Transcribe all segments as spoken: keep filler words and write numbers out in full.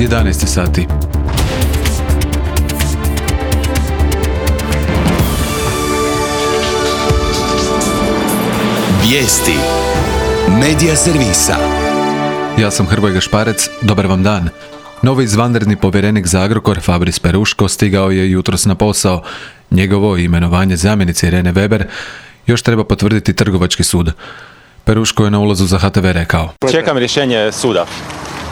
jedanaest sati. Vijesti Medija servisa. Ja sam Hrvoje Gašparec, dobar vam dan. Novi izvanredni povjerenik za Agrokor, Fabris Peruško, stigao je jutros na posao. Njegovo imenovanje zamjenice Irene Weber još treba potvrditi Trgovački sud. Peruško je na ulazu za H T V rekao: Čekam rješenje suda.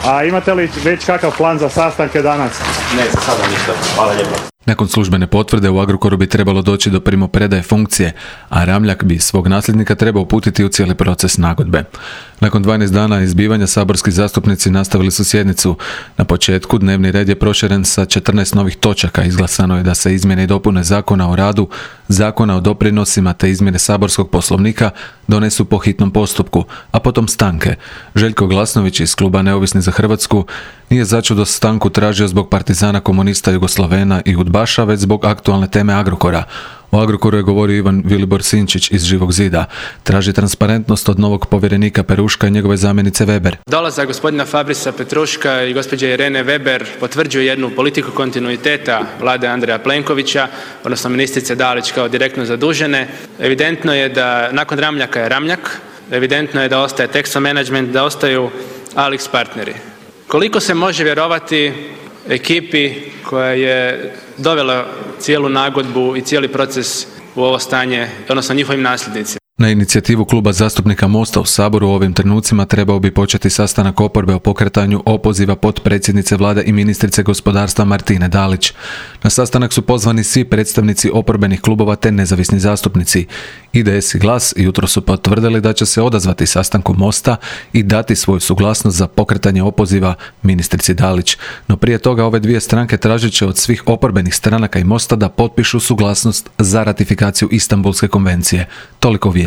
A imate li već kakav plan za sastanke danas? Ne, za sada ništa. Hvala lijepo. Nakon službene potvrde u Agrokoru bi trebalo doći do primopredaje funkcije, a Ramljak bi svog nasljednika trebao uputiti u cijeli proces nagodbe. Nakon dvanaest dana izbivanja saborski zastupnici nastavili su sjednicu. Na početku dnevni red je proširen sa četrnaest novih točaka. Izglasano je da se izmjene i dopune Zakona o radu, Zakona o doprinosima te izmjene saborskog poslovnika donesu po hitnom postupku, a potom stanke. Željko Glasnović iz kluba Neovisni za Hrvatsku nije začudo stanku tražio zbog partizana, komunista, Jugoslavena i udbaša, već zbog aktualne teme Agrokora. O Agrokoru je govorio Ivan Vilibor Sinčić iz Živog zida. Traži transparentnost od novog povjerenika Peruška i njegove zamjenice Weber. Dolazak gospodina Fabrisa Petruška i gospođe Irene Weber potvrđuje jednu politiku kontinuiteta vlade Andreja Plenkovića, odnosno ministrice Dalić kao direktno zadužene. Evidentno je da nakon Ramljaka je Ramljak, evidentno je da ostaje Texo Management, da ostaju Alix partneri. Koliko se može vjerovati ekipi koja je dovela cijelu nagodbu i cijeli proces u ovo stanje, odnosno njihovim nasljednicima? Na inicijativu kluba zastupnika Mosta u Saboru u ovim trenucima trebao bi početi sastanak oporbe o pokretanju opoziva potpredsjednice vlade i ministrice gospodarstva Martine Dalić. Na sastanak su pozvani svi predstavnici oporbenih klubova te nezavisni zastupnici. I D S i Glas jutro su potvrdili da će se odazvati sastanku Mosta i dati svoju suglasnost za pokretanje opoziva ministrici Dalić. No prije toga ove dvije stranke tražit će od svih oporbenih stranaka i Mosta da potpišu suglasnost za ratifikaciju Istanbulske konvencije. Toliko vijestima.